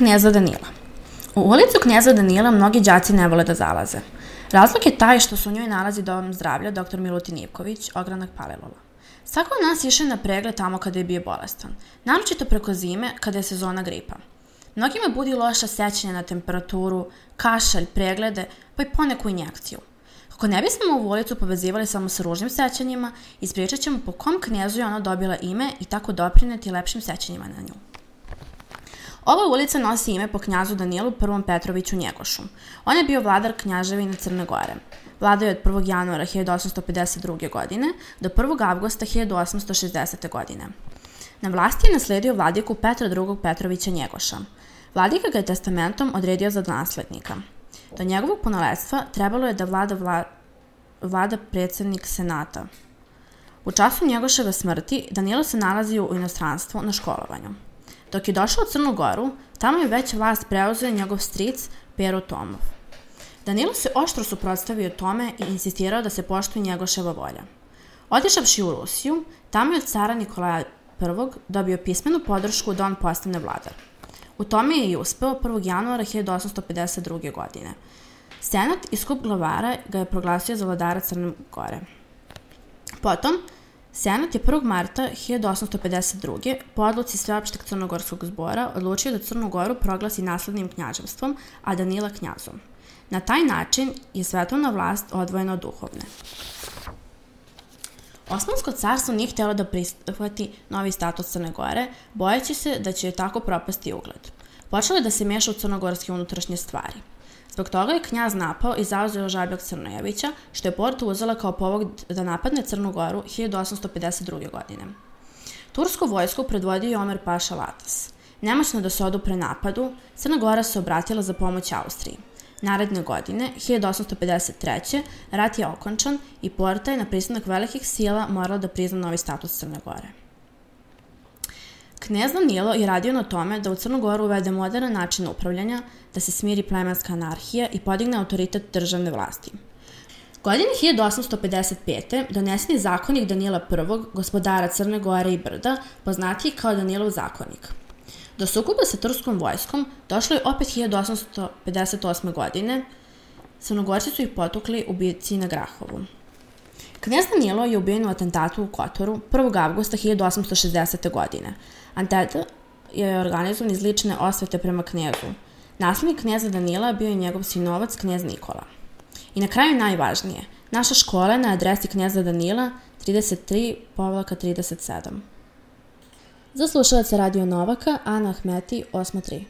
Kneza Danila. U ulicu Kneza Danila mnogi đaci ne vole da zalaze. Razlog je taj što se u njoj nalazi dom zdravlja dr. Milutin Ivković, ogranak Palilula. Svako od nas išao na pregled tamo kada je bio bolestan, naročito preko zime kada je sezona gripa. Mnogima budi loša sećanja na temperaturu, kašalj, preglede, pa i poneku injekciju. Kako ne bismo ovu ulicu povezivali samo sa ružnim sećanjima, ispričat ćemo po kom knjezu je ona dobila ime i tako doprineti lepšim sećanjima na nju. Ova ulica nosi ime po knjazu Danilu I. Petroviću Njegošu. On je bio vladar knjaževine Crne Gore. Vladao je od 1. januara 1852. godine do 1. avgusta 1860. godine. Na vlasti je nasledio vladiku Petra II. Petrovića Njegoša. Vladika ga je testamentom odredio za naslednika. Do njegovog punoletstva trebalo je da vlada predsjednik senata. U času Njegoševe smrti Danilo se nalazio u inostranstvu na školovanju. Dok je došao u Crnu Goru, tamo je već vlast preuzeo njegov stric Pero Tomov. Danilo se oštro suprotstavio tome i insistirao da se poštuje Njegoševa volja. Otišavši u Rusiju, tamo je od cara Nikolaja I. dobio pismenu podršku da on postane vladar. U tome je i uspeo 1. januara 1852. godine. Senat i skup glavara ga je proglasio za vladara Crne Gore. Potom, Senat je 1. marta 1852. po odluci Sveopšteg crnogorskog zbora odlučio da Crnu Goru proglasi naslednim knjaževstvom, a Danila knjazom. Na taj način je svetovna vlast odvojena od duhovne. Osmansko carstvo nije htjelo da prihvati novi status Crne Gore, bojeći se da će joj tako propasti ugled. Počelo je da se meša u crnogorske unutrašnje stvari. Zbog toga je knjaz napao i zauzeo Žabljak Crnojevića, što je Porto uzela kao povod da napadne Crnu Goru 1852. godine. Tursku vojsku predvodio je Omer Paša Latas. Nemoćno da se odupre napadu, Crna Gora se obratila za pomoć Austriji. Naredne godine, 1853. rat je okončan i Porta je na pristanak velikih sila morala da prizna novi status Crne Gore. Knez Danilo je radio na tome da u Crnu Goru uvede modern način upravljanja, da se smiri plemenska anarhija i podigne autoritet državne vlasti. Godine 1855. donesen je zakonik Danila I, gospodara Crne Gore i Brda, poznatiji kao Danilov zakonik. Do sukoba sa turskom vojskom došlo je opet 1858. godine. Crnogorci su ih potukli u bici na Grahovu. Knez Danilo je ubijen u atentatu u Kotoru 1. avgusta 1860. godine. Atentat je organizovan iz lične osvete prema knezu. Naslednik kneza Danila bio je njegov sinovac knez Nikola. I na kraju najvažnije, naša škola je na adresi kneza Danila 33/37. Za slušalaca Radio Novaka, Ana Ahmeti, 8.3.